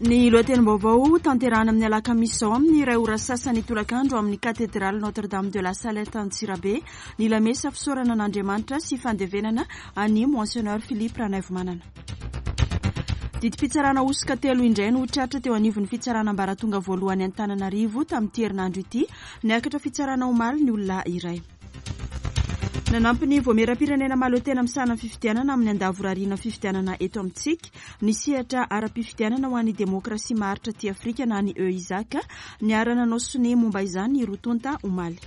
Ny lohatenim-baovao tanterahana amin'ny alakamisy izao amin'ny iray ora sasany tolakandro amin'ny Katedraly Notre Dame de la Salette Antsirabe ny lamesa fisaorana an'Andriamanitra sy fandevenana an'i Monseigneur Philippe Ranaivomanana. Didim-pitsarana hosoka telo indray no tratra teo anivon'ny fitsarana ambaratonga voalohany Antananarivo tamin'ity herinandro ity. Niakatra fitsarana omaly ny olona iray. Nanampy ny Voamieram-pirenena mahaleo tena misahana ny fifidianana amin'ny andavorariana fifidianana eto amintsika ny sehatra ara-pifidianana ho an'ny demokrasia maharitra aty Afrika na ny EUSAC. Niara-nanao sonia momba izany ny roa tonta omaly.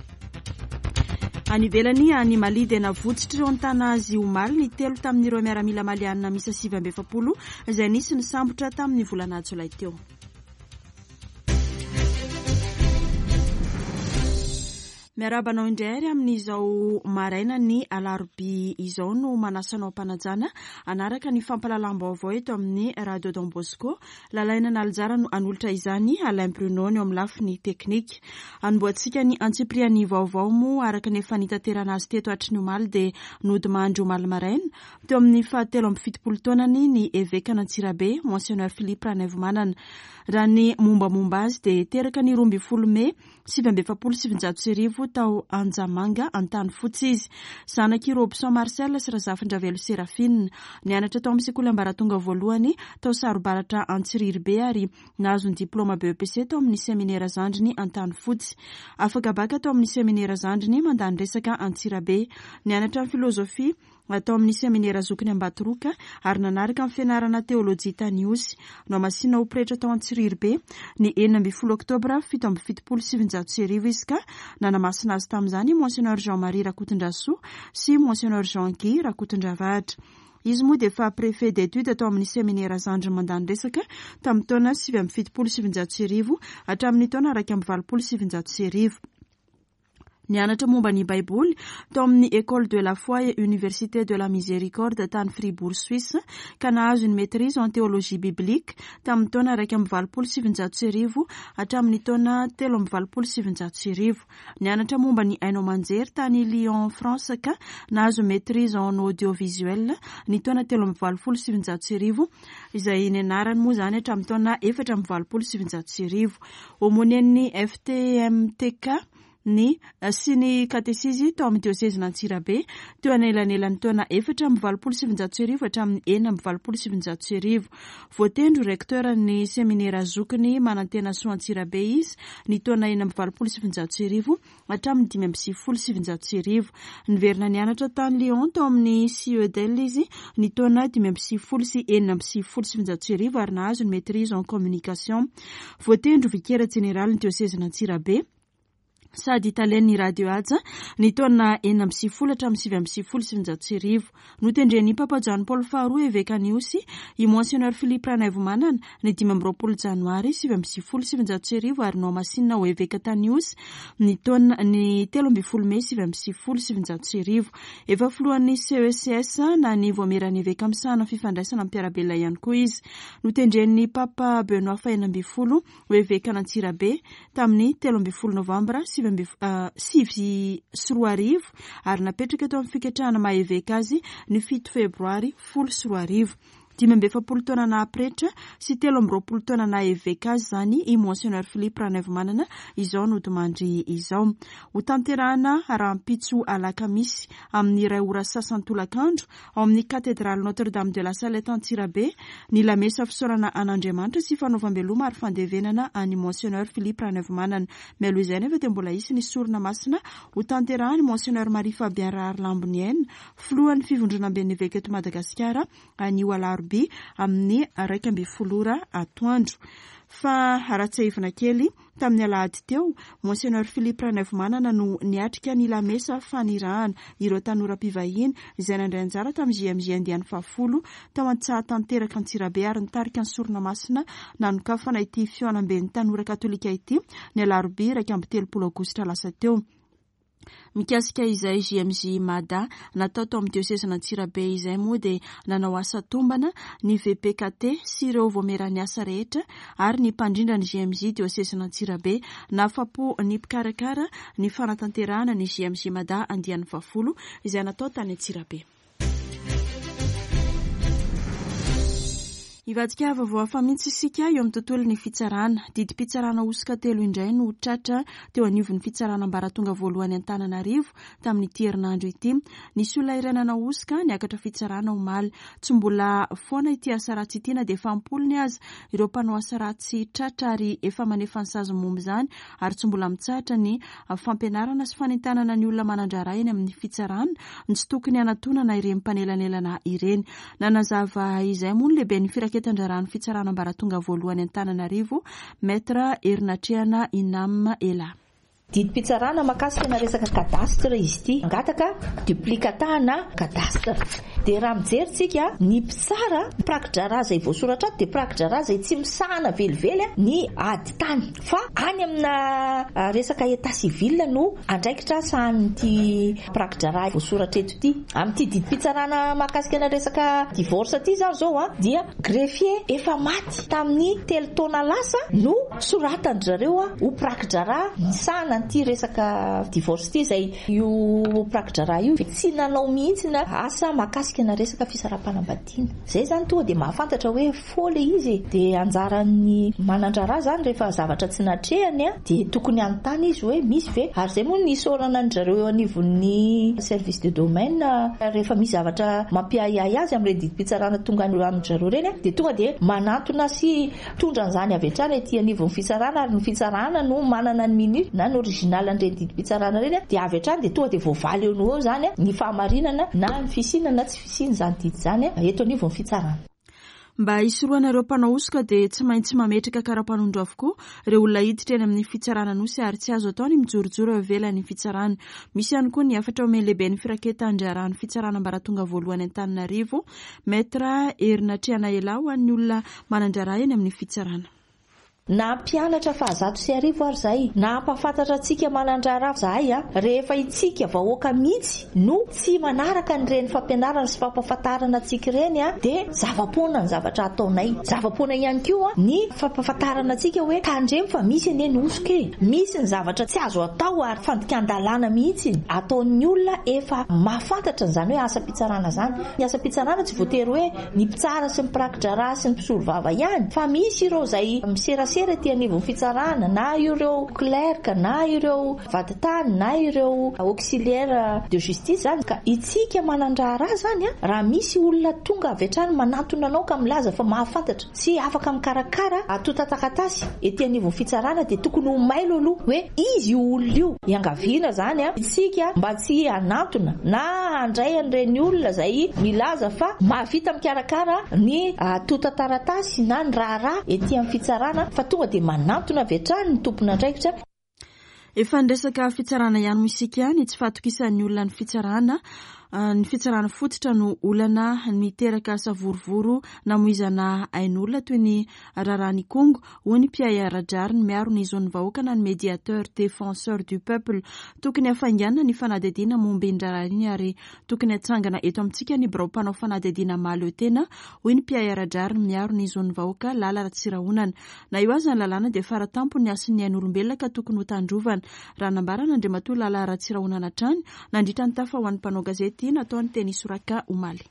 Any ivelany, any Mali dia navotsitr'ireo nitana azy omaly ny telo tamin'ireo miaramila malianina miisa 49 izay nisy nisambotra tamin'ny volana jolay teo. Miarahaba anao indray ary amin'izao maraina ny alarobia izao no manasa anao am-panajana hanaraka ny fampahalalam-baovao eto amin'ny Radio Don Bosco. Lalaina Nalijara no hanolotra izany, Alain Bruno ny eo amin'ny lafiny teknika. Hanombohantsika ny antsipirian'ny vaovao moa araka ny efa nitaterana azy teto hatry ny omaly dia nodimandry omaly maraina teo amin'ny fahatelo 73 taonany ny evekan'Antsirabe, Monseigneur Philippe Ranaivomanana. Raha ny mombamomba azy dia teraka ny 12 mey 1949 tao Anjamanga, Antanifotsy izy. Zanak'i Robson Marcel sy Razafindravelo Séraphine. Nianatra tao amin'ny sekoly ambaratonga voalohany tao Sarobaratra Antsiriribe ary nahazo ny diplaoma BEPC tao amin'ny seminera zandriny Antanifotsy. Afaka baka tao amin'ny seminera zandriny mandany resaka Antsirabe. Nianatra ny filozofia tao amin'ny seminera zokiny Ambatoroka ary nanaraka ny fianarana teolojia tany Ihosy. Nohamasinina ho pretra tao Antsiriribe ny 16 oktobra 1977 izy ka nanamasina azy tamin'izany i Monseigneur Jean Marie Rakotondrasoa sy Monseigneur Jean Guy Rakotondravahatra. Izy moa dia efa préfet d'études tao amin'ny seminera zandriny mandany resaka tamin'ny taona 1979 hatramin'ny taona 1981. Nianatra momba ny Baiboly tao amin'ny École de la foi et Université de la Miséricorde tany Fribourg, Suisse, ka nahazo ny maîtrise en théologie biblique tamin'ny taona 1981 hatramin'ny taona 1983. Nianatra momba ny haino aman-jery tany Lyon, France, ka nahazo maîtrise en audiovisuel ny taona 1983, izay nianarany moa izany hatramin'ny taona 1984. Aumônier-n'ny FTMTK ny sy ny katesizy tao amin'ny diosezin'Antsirabe teo anelanelan'ny taona 1984 hatramin'ny 1986. Voatendry ho recteur ny seminera zokiny Manantenasoa Antsirabe izy ny taona 1986 hatramin'ny 1995. Niverina nianatra tany Lyon tao amin'ny CEDEL izy ny taona 1995 96 ary nahazo ny maîtrise en communication. Voatendry ho vikera jeneralin'ny diosezin'Antsirabe sady talen'ny Radio Haja ny taona 96 hatramin'ny 1999. Notendren'ny Papa Jano Paoly faharoa evekan'Ihosy i Monseigneur Philippe Ranaivomanana ny 25 janoary 1999 ary nohamasinina ho eveka tany Ihosy ny taona ny 13 mey 1999. Efa filohan'ny CECS na ny Voamieran'ny Eveka misahana fifandraisana amin'ny mpiara-belona ihany koa izy. Notendren'ny Papa Benoît fahenina ambin'ny folo ho evekan'Antsirabe tamin'ny 13 novambra 2009 ary napetraka teo amin'ny fiketrahana maha eveka azy ny 7 febroary 2010. 45 taona naha pretra sy 23 taona naha eveka azy izany i Monseigneur Philippe Ranaivomanana izao nodimandry izao. Ho tanterahana rahampitso alakamisy amin'ny iray ora sasany tolakandro ao amin'ny Katedraly Notre Dame de la Salette Antsirabe ny lamesa fisaorana an'Andriamanitra sy fanaovam-beloma ary fandevenana an'i Monseigneur Philippe Ranaivomanana. Mialoha izay nefa dia mbola hisy ny sorona masina ho tanterahan'i Monseigneur Marie Fabien Raharilamboniaina, filohan'ny Fivondronamben'ny Eveka eto Madagasikara anio alarobia amin'ny 11 ora atoandro. Fa raha tsiahivina kely, tamin'ny alahady teo, Monseigneur Philippe Ranaivomanana no niatrika ny lamesa fanirahana ireo tanora mpivahiny izay nandray anjara tamin'ny JMJ andiany fahafolo tao Antsahatanteraka Antsirabe ary nitarika ny sorona masina nanokafana ity fihaonamben'ny tanora katolika ity ny alarobia 31 aogositra lasa teo. Mikasika izay JMJ Mada natao tao amin'ny diosezin'Antsirabe izay moa dia nanao asa tombana ny VPKT sy ireo voamieran'ny asa rehetra ary ny mpandrindra ny JMJ diosezin'Antsirabe. Nahafapo ny mpikarakara ny fanatanterahana ny JMJ Mada andiany fahafolo izay natao tany Antsirabe. Hivadika vaovao hafa mihitsy isika eo amin'ny tontolon'ny fitsarana. Didim-pitsarana hosoka telo indray no tratra teo anivon'ny fitsarana ambaratonga voalohany Antananarivo tamin'ity herinandro ity. Nisy olona iray nanao hosoka niakatra fitsarana omaly. Tsy mbola foana ity asa ratsy ity na dia efa am-polony aza ireo mpanao asa ratsy tratra ary efa manefa ny sazy momba izany ary tsy mbola mitsahatra ny fampianarana sy fanentanana ny olona manan-draharaha eny amin'ny fitsarana ny tsy tokony hanatonana ireny mpanelanelana ireny. Nanazava izay moa ny lehiben'ny firaketan-draharahan'ny fitsarana ambaratonga voalohany Antananarivo, Maître Herinatrehana Inam Ela. Didim-pitsarana mahakasika na resaka cadastre izy ity. Mangataka duplicata na cadastre. Dia raha mijery tsika, ny mpitsara, mpiraki-draharaha izay voasoratra ato dia mpiraki-draharaha izay tsy misahana velively ny ady tany. Fa any amina resaka état civil no andraikitra sahanin'ity mpiraki-draharaha voasoratra eto ity. Amin'ity didim-pitsarana mahakasika ny resaka divorce ity izany izao dia greffier efa maty tamin'ny telo taona lasa no soratan-dry zareo ho mpiraki-draharaha misahana an'ity resaka divorce ity, izay io mpiraki-draharaha io tsy nanao mihitsy na asa mahakasika na resaka fisaraham-panambadiana. Izay izany tonga dia mahafantatra hoe faux ilay izy e! Dia anjaran'ny manan-draharaha izany rehefa zavatra tsy natrehany dia tokony hanontany izy hoe misy ve? Ary izay moa no nisaorana an-dry zareo eo anivon'ny service de domaine rehefa misy zavatra mampiahiahy azy amin'ireny didim-pitsarana tonga any amin-dry zareo ireny dia tonga dia manantona sy mitondra an'izany avy hatrany aty anivon'ny fitsarana ary ny fitsarana no manana ny minute na ny original an'ireny didim-pitsarana ireny dia avy hatrany dia tonga dia voavaly eo no eo izany ny fahamarinana na ny fisiana na tsy fisiana izany didy izany eto anivon'ny fitsarana. Mba hisorohana ireo mpanao hosoka dia tsy maintsy mametraka kara-panondro avokoa ireo olona hiditra eny amin'ny fitsarana Anosy ary tsy azo atao ny mijorojoro eo ivelan'ny fitsarana. Misy ihany koa ny hafatra omen'ny lehiben'ny firaketan-draharahan'ny fitsarana ambaratonga voalohany Antananarivo, Maître Herinatrehana Elah ho an'ny olona manan-draharaha eny amin'ny fitsarana. Na mpianatra faha-1100 ary zahay, na hampahafantatra antsika manan-draharaha zahay a, rehefa itsika vahoaka mihitsy no tsy manaraka an'ireny fampianarana sy fampahafantarana antsika ireny a, dia zava-poana ny zavatra ataonay. Zava-poana ihany koa ny fampahafantarana antsika hoe tandremo fa misy anie ny hosoka e, misy ny zavatra tsy azo atao ary fandikan-dalàna mihitsy ataon'ny olona efa mahafantatra an'izany hoe asam-pitsarana izany. Ny asam-pitsarana tsy voatery hoe ny mpitsara sy ny mpiraki-draharaha sy ny mpisolovava ihany fa misy ireo izay miserasera ety anivon'ny fitsarana na ireo clerc na ireo vadintany na ireo auxiliaire de justice izany ka itsika manan-draharaha izany raha misy olona tonga avy hatrany manantona anao ka milaza fa mahafantatra sy afaka mikarakara antontan-taratasy ety anivon'ny fitsarana dia tokony ho mailo aloha hoe izy io olona io. Iangaviana izany isika mba tsy hanantona na handray an'ireny olona izay milaza fa mahavita mikarakara ny antontan-taratasy na ny raharaha ety amin'ny fitsarana fa tonga dia manantona avy hatrany ny tompon'andraikitra. Efa niresaka fitsarana ihany moa isika, ny tsy fahatokisan'ny olona ny fitsarana, ny fitsarana fototra no olana niteraka savorovoro namoizana ain'olona toy ny raharahan'Ikongo, hoy ny mpiahy ara-drariny miaro ny zon'ny vahoaka na ny Médiateur Défenseur du Peuple. Tokony hafainganina ny fanadihadiana momba iny raharaha iny ary tokony hatsangana eto amintsika ny birao mpanao fanadihadiana mahaleo tena, hoy ny mpiahy ara-drariny miaro ny zon'ny vahoaka Lala Ratsirahonana. Na eo aza ny lalàna dia faratampony ny hasin'ny ain'olombelona ka tokony hotandrovana, raha nambaran'Andriamatoa Lala Ratsirahonana hatrany nandritra ny tafa ho an'ny mpanao gazety nataony teny Isoraka omaly.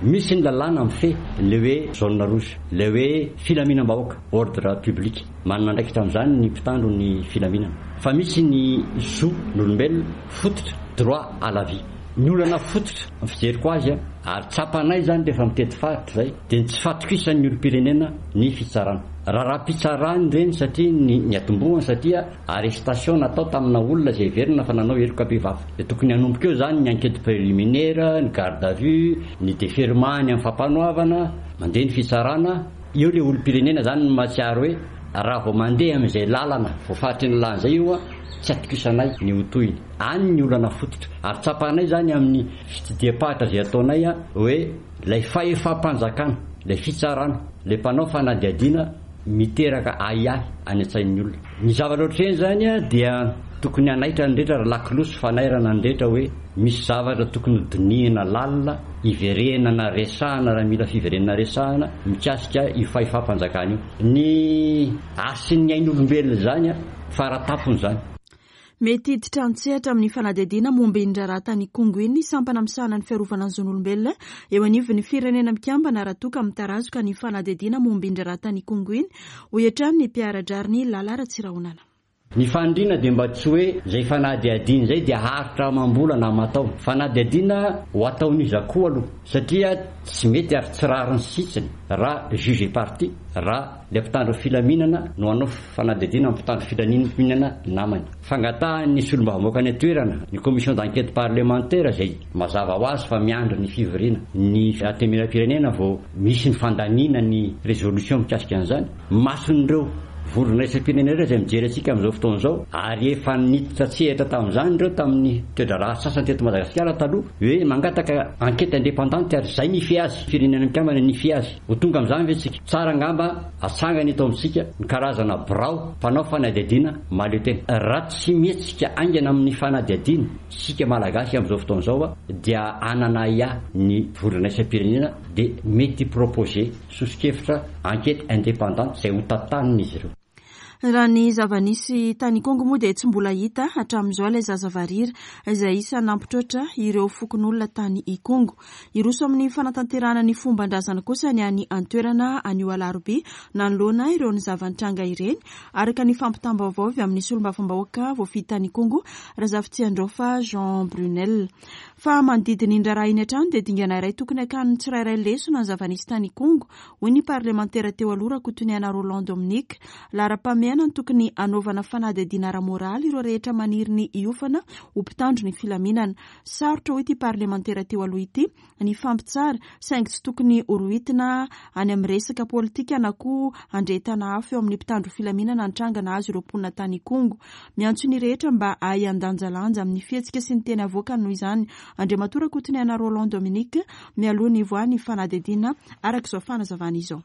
Misy ny lalàna mifehy ilay hoe zone rouge, ilay hoe filaminam-bahoaka, ordre public. Manana andraikitra amin'izany ny mpitandro ny filaminana. Fa misy ny zo n'olombelona fototra, droit à la vie. Ny olana fototra, ny fijeriko azy, ary tsapanay izany rehefa mitety faritra izay, dia ny tsy fatokisan'ny olom-pirenena ny fitsarana. Raharaham-pitsarana ireny satria ny niatombohany satria arrestation natao tamina olona izay heverina fa nanao heloka bevava. Dia tokony hanomboka eo izany ny enquête préliminaire, ny garde à vue, ny déferment any amin'ny fampanoavana, mandeha ny fitsarana. Eo ilay olom-pirenena izany no mahatsiaro hoe raha vao mandeha amin'izay lalana voafaritry ny lalàna izay io, tsy atokisanay ny ho tohiny. Any ny olana fototra. Ary tsapanay izany amin'ny fitsidiham-paritra izay ataonay hoe Ilay fahefam-panjakana, ilay fitsarana, ilay mpanao fanadihadiana miteraka ahiahy any an-tsain'ny olona. Ny zavatra ohatr'ireny izany dia tokony hanaitra ny rehetra ary lakolosy fanairana ny rehetra hoe misy zavatra tokony hodinihina lalina, hiverenana resahana raha mila fiverenana resahana mikasika io fahefam-panjakana io. Ny hasin'ny ain'olombelona izany faratampony izany. Mety hiditra an-tsehatra amin'ny fanadihadiana momba iny raharaha tany Ikongo iny ny sampana misahana ny fiarovana ny zon'olombelona eo anivon'ny Firenena Mikambana raha toa ka mitarazoka ny fanadihadiana momba iny raharaha tany Ikongo iny, hoy hatrany ny mpiara-drariny Lala Ratsirahonana. Ny faniriana dia mba tsy hoe izay fanadihadiana izay dia haharitra amam-bolana aman-taona. Fanadihadiana ho ataon'iza koa aloha satria tsy mety ary tsy rariny sitsiny raha juge et partie, raha ilay mpitandro filaminana no hanao fanadihadiana amin'ny mpitandro filaminana namany. Fangatahan'ny solombavambahoaka any an-toerana, ny commission d'enquête parlementaire izay mazava ho azy fa miandry ny fivoriana ny Antenimierampirenena vao misy ny fandaniana ny résolution mikasika an'izany. Mason'ireo vondrona iraisam-pirenena ireo izay mijery antsika amin'izao fotoana izao ary efa niditra an-tsehatra tamin'izany ireo tamin'ny toe-draharaha sasany teto Madagasikara taloha hoe mangataka enquête indépendante ary izay nifehy azy, Firenena Mikambana nifehy azy. Ho tonga amin'izany ve isika? Tsara angamba atsangana eto amintsika ny karazana birao mpanao fanadihadiana mahaleo tena. Raha tsy mihetsika haingana amin'ny fanadihadiana isika Malagasy amin'izao fotoana izao dia hanana ahiahy ny vondrona iraisam-pirenena dia mety hi-proposer soso-kevitra enquête indépendante izay ho tantanin'izy ireo. Raha ny zava-nisy tany Ikongo moa dia tsy mbola hita hatramin'izao ilay zaza varira izay isan'ny nampitroatra ireo fokonolona tany Ikongo. Hiroso amin'ny fanatanterahana ny fomban-drazana kosa ny any an-toerana anio alarobia nanoloana ireo ny zava-nitranga ireny, araka ny fampitam-baovao avy amin'ny solombavambahoaka voafidy tany Ikongo, Razafitsiandraofa Jean Brunel. Fa manodidina iny raharaha iny hatrany dia dingana iray tokony hakan'ny tsirairay lesona ny zava-nisy tany Ikongo, hoy ny parlemantera teo aloha Rakotoniaina Roland Dominique. Laharam-pahamehana ny tokony hanaovana fanadihadiana ara-moraly ireo rehetra maniry ny hiofana ho mpitandro ny filaminana. Sarotra, hoy ity parlemantera teo aloha ity, ny hifampitsara, saingy tsy tokony horohitina any amin'ny resaka politika na koa handrehetana afo eo amin'ny mpitandro filaminana ny tranga nahazo ireo mponina tany Ikongo. Miantso ny rehetra mba hahay handanjalanja amin'ny fihetsika sy ny teny avoakany noho izany Andriamatoa Rakotoniaina Roland Dominique mialoha ny hivoahan'ny fanadihadiana araka izao fanazavana izao.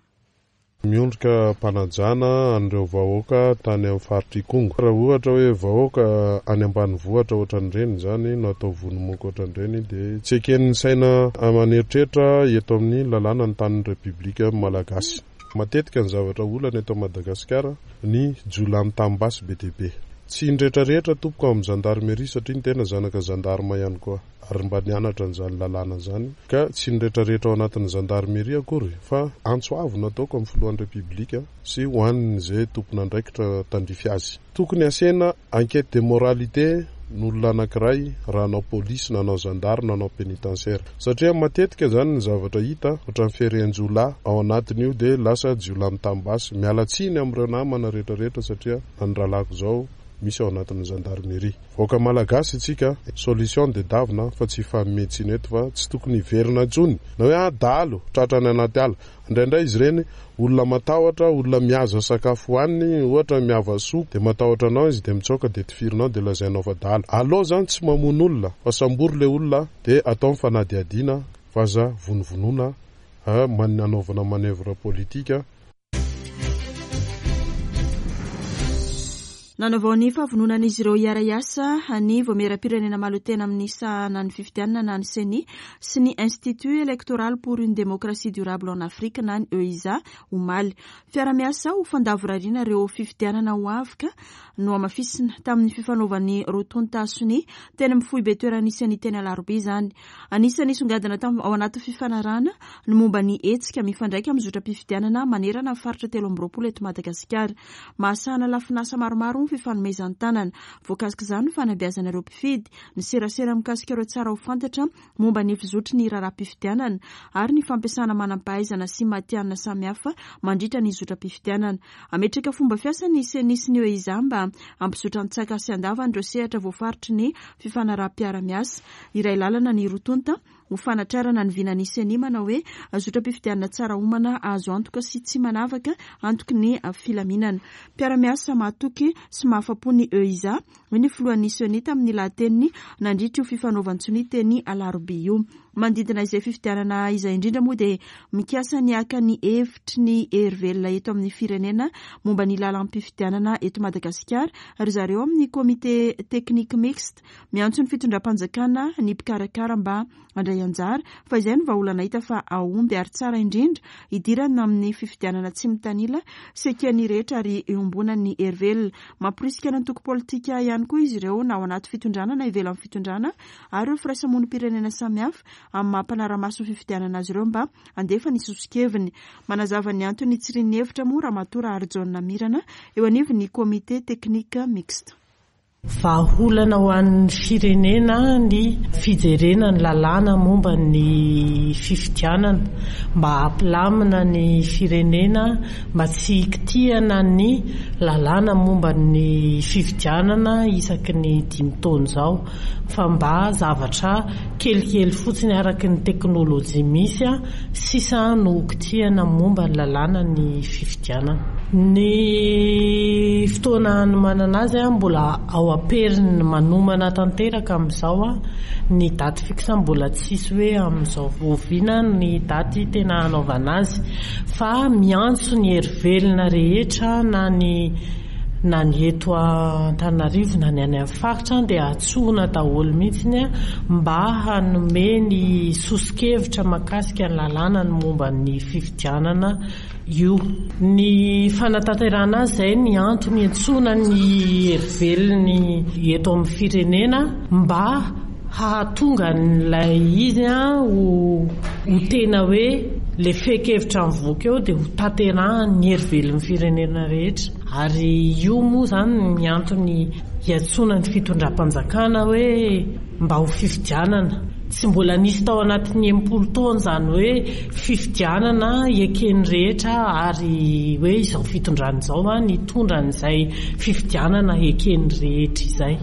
Miondrika am-panajana an'ireo vahoaka tany amin'ny faritr'Ikongo. Raha ohatra hoe vahoaka any ambanivohitra ohatran'ireny izany no atao vono-moka ohatran'ireny dia tsy eken'ny saina aman'eritreritra eto amin'ny lalàna ny tanin'ny Repoblika Malagasy. Matetika ny zavatra olana eto Madagasikara ny jiolahy mitam-basy be dia be. Tsy ny rehetra rehetra tompoko ao amin'ny zandarmerie satria ny tena zanaka zandarma ihany koa ary mba nianatra an'izany lalàna izany ka tsy ny rehetra rehetra ao anatin'ny zandarmerie akory fa antso avo no ataoko amin'ny filohan'ny Repiblika sy ho an'izay tompon'andraikitra tandrify azy. Tokony asiana enquête de moralité ny olona anakiray raha hanao polisy na hanao zandary na hanao pénitentiaire satria matetika zany ny zavatra hita ohatran'ny fierehan-jiolahy ao anatin'io dia lasa jiolahy mitam-basy, miala tsiny amin'ireo namana rehetra rehetra satria na ny rahalahiko zao misy ao anatin'ny gendarmerie. Vahoaka malagasy itsika, solution dia davina fa tsy hifanome tsiny eto fa tsy tokony hiverina intsony na hoe ah dahalo tratra any anaty ala. Indraindray izy ireny olona matahotra, olona mihaza sakafo hohaniny, ohatra miava soa dia matahotra anao izy dia mitsoaka dia tifirinao dia lazainao fa dahalo. Aleo zany tsy mamono olona fa sambory le olona dia atao ny fanadihadiana fa aza vonovonoina anaovana manoeuvre politique. Nanavao ny fahavononan'izy ireo hiara-hiasa ny Vaomieram-pirenena Mahaleo-tena amin'ny sahana ny fifidianana na ny Ceni sy ny Institut Electoral pour une Démocratie Durable en Afrique na ny EIZA omaly. Fiara-miasa ho fandavorariana ireo fifidianana ho avy ka nohamafisina tamin'ny fifanaovan'ny roa tonta sonia teny amin'ny foibe toeran'ny Ceni teny Alarobia izany. Anisan'ny nisongadina ao anaty fifanarahana ny momba ny hetsika mifandraika amin'ny zotram-pifidianana manerana ny faritra 23 eto Madagasikara. Mahasahana lafin'asa maromaro ny fifanomezan-tanana. Voakasik'izany ny fanabeazana ireo mpifidy, ny serasera mikasika ireo tsara ho fantatra momba ny fizotry ny raharaham-pifidianana ary ny fampiasana manam-pahaizana sy matihanina samihafa mandritra ny zotram-pifidianana. Hametraka fomba fiasa ny Ceni sy ny EIZA mba hampizotra an-tsaka sy an-davany ireo sehatra voafaritry ny fifanaraham-piara-miasa. Iray lalana ny roa tonta ho fanatrarana ny vinan'ny Ceni manao hoe zotram-pifidianana tsara omana, azo antoka sy tsy manavaka, antoky ny filaminana. Mpiara-miasa mahatoky sy mahafa-po ny EIZA, hoy ny filohan'ny Ceni tamin'ny lahateniny nandritra io fifanaovan-tsonia teny Alarobia io. Manodidina izay fifidianana izay indrindra moa dia mikasa ny haka ny hevitry ny hery velona eto amin'ny firenena momba ny lalam-pifidianana eto Madagasikara ry zareo amin'ny Comité Technique Mixte. Miantso ny fitondram-panjakana ny mpikarakara mba handray anjara fa izay no vahaolana hita fa hahomby ary tsara indrindra hidirana amin'ny fifidianana tsy mitanila sy eken'ny rehetra ary iombonan'ny hery velona. Mamporisika ny antoko politika ihany. ihany koa izy ireo na ao anaty fitondrana na ivelan'ny fitondrana ary ireo firaisamonim-pirenena samihafa amin'ny maha mpanara-maso ny fifidianana azy ireo mba handefa ny soso-keviny. Manazava ny antony nitsirian'ny hevitra moa Ramatoa Raharijaona Mirana eo anivon'ny Comité Technique Mixte. Vahaolana ho an'ny firenena ny fijerena ny lalàna momba ny fifidianana mba hampilamina ny firenena mba tsy hikitihana ny lalàna momba ny fifidianana isaky ny dimy taona izao fa mba zavatra kelikely fotsiny araka ny teknolojia misy sisa no hokitihana momba ny lalàna ny fifidianana. Ny fotoana hanomanana azy mbola ao am-periny manomana tanteraka amin'izao, ny daty fixe mbola tsisy hoe amin'izao oviana ny daty tena hanaovana azy fa miantso ny hery velona rehetra na ny na ny eto Antananarivo na ny any amin'ny faritra dia antsoina daholo mihitsy mba hanome ny soso-kevitra mahakasika ny lalàna ny momba ny fifidianana io. Ny fanatanterahana azy izay ny antony iantsoana ny herivelony eto amin'ny firenena mba hahatonga an'ilay izy ho ho tena hoe ilay fehin-kevitra mivoaka eo dia ho tanterahan'ny herivelon'ny firenena rehetra. Ary io moa izany ny antony iantsoana ny fitondram-panjakana hoe mba ho fifidianana. Tsy mbola nisy tao anatin'ny 60 taona izany hoe fifidianana eken'ny rehetra ary hoe izao fitondrana izao nitondra an'izay fifidianana eken'ny rehetra izay.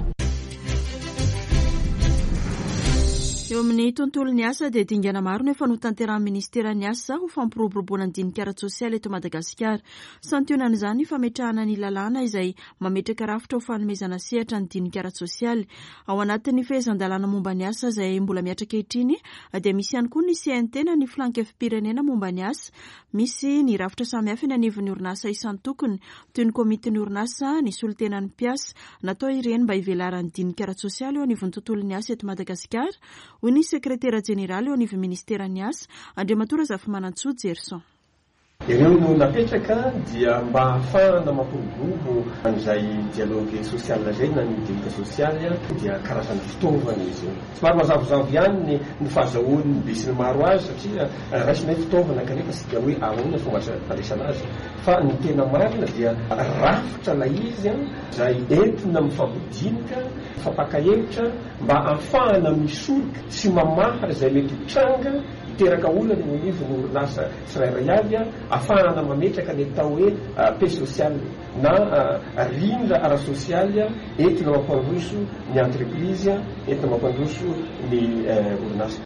Eo amin'ny tontolon'ny asa dia dingana maro no efa notanterahin'ny Ministeran'ny Asa ho fampiroboroboana ny dinika ara-tsosialy eto Madagasikara. Santionan'izany ny fametrahana ny lalàna izay mametraka rafitra ho fanomezana sehatra ny dinika ara-tsosialy. Ao anatin'ny fehezan-dalàna momba ny asa izay mbola mihatra ankehitriny dia misy ihany koa ny CNT na ny Filankevi-pirenena momba ny asa. Misy ny rafitra samihafa eny anivon'ny orinasa isan-tokony toy ny komitin'ny orinasa, ny solontenan'ny mpiasa. Natao ireny mba hivelaran'ny dinika ara-tsosialy eo anivon'ny tontolon'ny asa eto Madagasikara, hoy ny sekretera jeneraly eo anivon'ny ministeran'ny asa, Andriamatoa Razafimanantsoa Jerson. Ireo no napetraka dia mba hahafahana mampiroborobo an'izay dialogue social izay na ny dinika sosialy dia karazana fitaovana izy io. Somary mazavozavo ihany ny fahazahoan'ny besinimaro azy satria raisina hoe fitaovana kanefa tsy dia hoe ahoana ny fomba fandraisana azy. Fa ny tena marina dia rafitra ilay izy izay entina mifampidinika, mifampaka hevitra mba ahafahana misoroka sy mamaha izay mety ho tranga hiteraka olana eo anivon'ny orinasa tsirairay avy, ahafahana mametraka ny atao hoe paix sociale na rindra ara-sosialy entina mampandroso ny entreprise, entina mampandroso ny orinasa.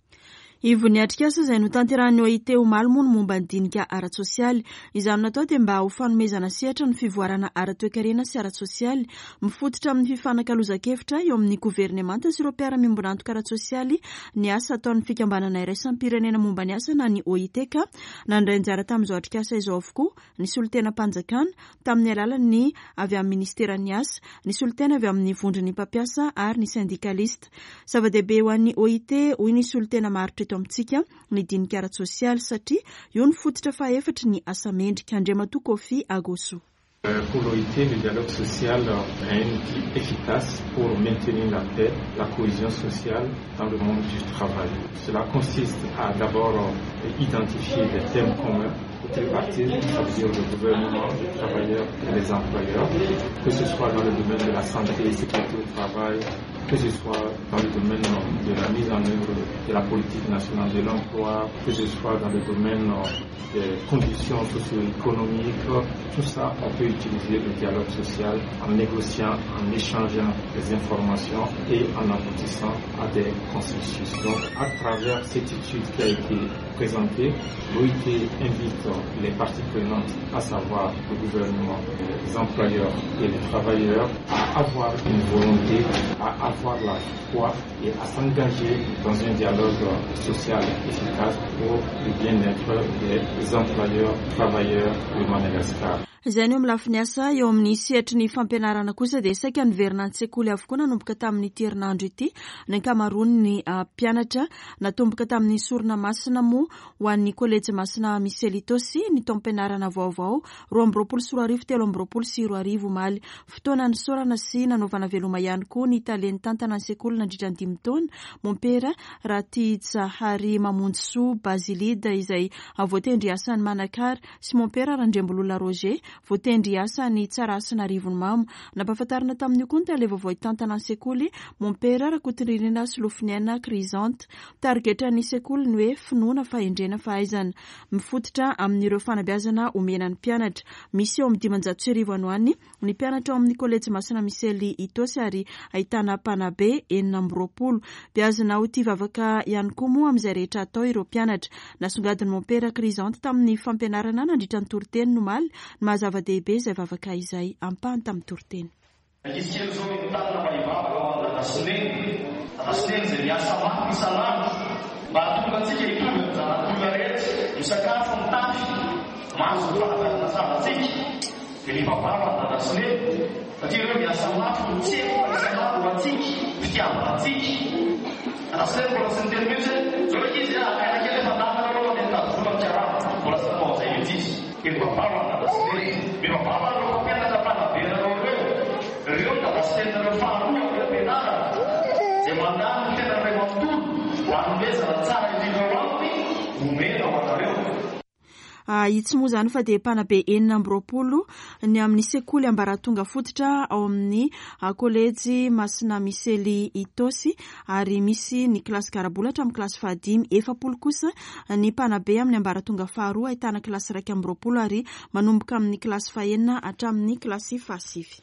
Ivon'ny atrikasa izay notanterahin'ny OIT omaly moa ny momba ny dinika ara-tsosialy. Izany natao dia mba ho fanomezana sehatra ny fivoarana ara-toekarena sy ara-tsosialy, mifototra amin'ny fifanakalozan-kevitra eo amin'ny governemanta sy ireo mpiara-miombon'antoka ara-tsosialy ny asa ataon'ny fikambanana iraisam-pirenena momba ny asa na ny OIT ka nandray anjara tamin'izao atrikasa izao avokoa ny solontenam-panjakana tamin'ny alalan'ny avy amin'ny ministeran'ny asa, ny solontena avy amin'ny vondron'ny mpampiasa ary ny sendikalista. Zava-dehibe ho an'ny OIT, hoy ny solontena maharitra eto amintsika, ny dinika ara-tsosialy satria io no fototra fahaefatry ny asa mendrika. Andriamatoa Koffi Agossou. Pour l'OIT, le dialogue social est un outil efficace pour maintenir la paix, la cohésion sociale dans le monde du travail. Cela consiste à d'abord identifier des thèmes communs au tripartisme, ça veut dire le gouvernement, les travailleurs et les employeurs, que ce soit dans le domaine de la santé, sécurité au travail, que ce soit dans le domaine de la mise en œuvre de la politique nationale de l'emploi, que ce soit dans le domaine des conditions socio-économiques, tout ça, on peut utiliser le dialogue social en négociant, en échangeant des informations et en aboutissant à des consensus. Donc, à travers cette étude qui a été présentée, l'OIT invite les parties prenantes, à savoir le gouvernement, les employeurs et les travailleurs, à avoir une volonté, à avoir la foi et à s'engager dans un dialogue social efficace. pour le bien-être des employeurs, travailleurs de Madagascar. Izay ny eo amin'ny lafiny asa. Eo amin'ny sehatry ny fampianarana kosa dia saika niverina an-tsekoly avokoa nanomboka tamin'ity herinandro ity ny ankamaroan'ny mpianatra. Natomboka tamin'ny sorona masina moa ho an'ny kolejy Masina Misely Itaosy ny taom-pianarana vaovao 2022 2023 omaly. Fotoana nisaorana sy nanaovana veloma ihany koa ny tale nitantana ny sekoly nandritra ny dimy taona, Mompera Ratijahary Mamonjisoa Basilide izay voatendry hiasa any Manakara sy Mompera Randriambololona Roger voatendry hiasa any Tsarahasina Arivonimamo. Nampahafantarina tamin'io koa ny tale vaovao hitantana ny sekoly, Mompera Rakotonirina Solofoniaina Chrysanthe. Tarigetran'ny sekoly ny hoe finoana, fahendrena, fahaizana. Mifototra amin'ireo fanabeazana omena ny mpianatra. Misy eo amin'ny 1500 any ho any ny mpianatra ao amin'ny Kolejy Masina Misely Itaosy ary ahitana mpanabe 26. Beazina ho tia vavaka ihany koa moa amin'izay rehetra atao ireo mpianatra. Nasongadin'i Mompera Chrysanthe tamin'ny fampianarana nandritra ny toriteny omaly ny maha zava-dehibe izay vavaka izay. Ampahany tamin'ny toriteny. Ankizy kely izao entanina mba hivavaka ho an'i Dada sy Neny. Dada sy Neny izay miasa mafy isan'andro mba hahatonga antsika hitovy amin'ny zanak'olona rehetra, misakafo, mitafy, mahazo ny fanabeazana tsara antsika. Dia mivavaha ho an'i Dada sy Neny satria ireo miasa mafy, mitsefoka isan'andro ho antsika, fitiavana antsika. Dada sy Neny mbola tsy niteny mihitsy hoe, zao ankizy a, akaina kely efa lany nareo aloha dia mitady vola mikarama. Mbola tsy nanao an'izay mihitsy izy. Mivavaha ho an'i Dada sy Neny. Mivavaha ho an'ireo mpampianatra mpanabe anareo ireo. Ireo ny Dada sy Neninareo faharoa amin'ny fampianarana, izay mandany ny fiainany iray manontolo mba hanomezana ny tsara indrindra ho aminy omena ho anareo. Itsy moa izany fa dia mpanabe 26 ny amin'ny sekoly ambaratonga fototra ao amin'ny kolejy Masina Misely Itaosy ary misy ny kilasy garabola hatramin'ny kilasy fahadimy. 40 kosa ny mpanabe amin'ny ambaratonga faharoa ahitana kilasy 21 ary manomboka amin'ny kilasy fahenina hatramin'ny kilasy fahasivy.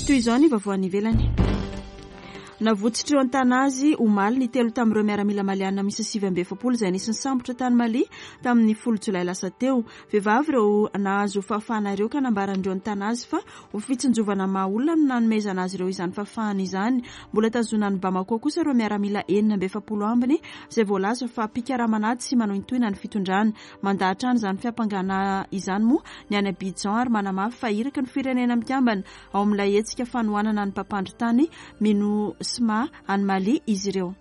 Toy izao ny vaovao any ivelany. Navotsotra eo an-tana azy omaly ny telo tamin'ireo miaramila maliana miisa 49 izay nisy nisambotra tany Mali tamin'ny 10 jolay lasa teo. Vehivavy ireo nahazo fahafahana ireo ka nambaran'ireo nitana azy fa ho fitsinjovana maha olona no nanomezana azy ireo izany fahafahana izany. Mbola tazonina any Bamako kosa ireo miaramila 46 ambiny izay voalaza fa mpikaraman'ady sy manohintohina ny fitondrana. Mandà hatrany izany fiampangana izany moa ny any Abidjan ary manamafy fa iraky ny Firenena Mikambana ao amin'ilay hetsika fanohanana ny mpampandry tany Minusma any Mali izy ireo.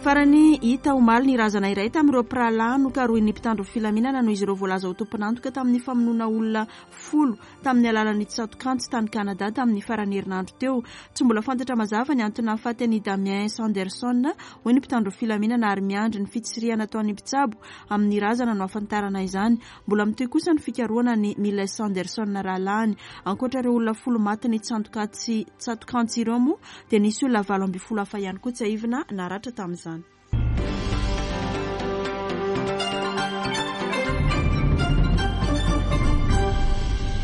Farany, hita omaly ny razana iray tamin'ireo mpirahalahy nokarohin'ny mpitandro filaminana noho izy ireo voalaza ho tompon'antoka tamin'ny famonoana olona folo tamin'ny alalan'ny tsatokantsy tany Canada tamin'ny faran'ny herinandro teo. Tsy mbola fantatra mazava ny antony nahafaty an'i Damien Sanderson, hoy ny mpitandro filaminana ary miandry ny fitsirihana ataon'ny mpitsabo amin'ny razana no hahafantarana izany. Mbola mitohy kosa ny fikarohana an'i Miles Sanderson rahalahiny. Ankoatra ireo olona folo matin'ny tsatokantsy tsatokantsy ireo moa dia nisy olona 18 hafa ihany koa tsiahivina naratra tamin'izany.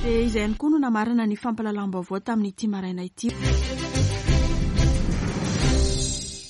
Dia izay ihany koa no namarana ny fampahalalam-baovao tamin'ity maraina ity.